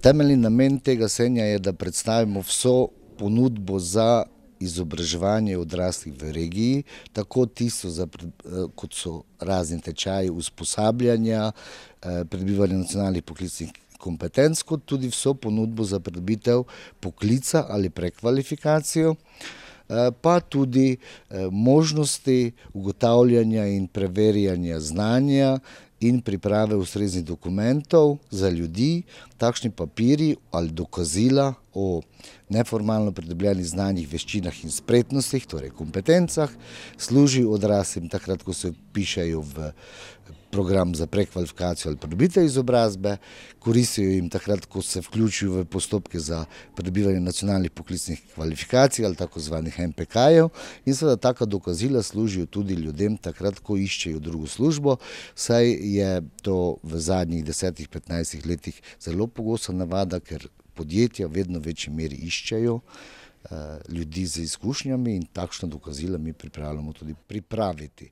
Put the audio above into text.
Temeljni namen tega sejma je, da predstavimo vso ponudbo za izobraževanje odraslih v regiji, tako tisto, kot so razni tečaji usposabljanja, pridobivanje nacionalnih poklicnih kompetenc, kot tudi vso ponudbo za pridobitev poklica ali prekvalifikacijo, pa tudi možnosti ugotavljanja in preverjanja znanja in priprave ustreznih dokumentov za ljudi. Takšni papirji ali dokazila o neformalno pridobljenih znanjih, veščinah in spretnostih, torej kompetencah, služijo odraslim takrat, ko se vpišejo v program za prekvalifikacijo ali pridobitev izobrazbe, koristijo jim takrat, ko se vključijo v postopke za pridobivanje nacionalnih poklicnih kvalifikacij ali tako zvanih NPK-jev, in seveda taka dokazila služijo tudi ljudem takrat, ko iščejo drugo službo, saj je to v zadnjih 10-15 letih zelo pogosta navada, ker podjetja v vedno večji meri iščejo ljudi z izkušnjami in takšna dokazila mi pripravljamo tudi pripraviti.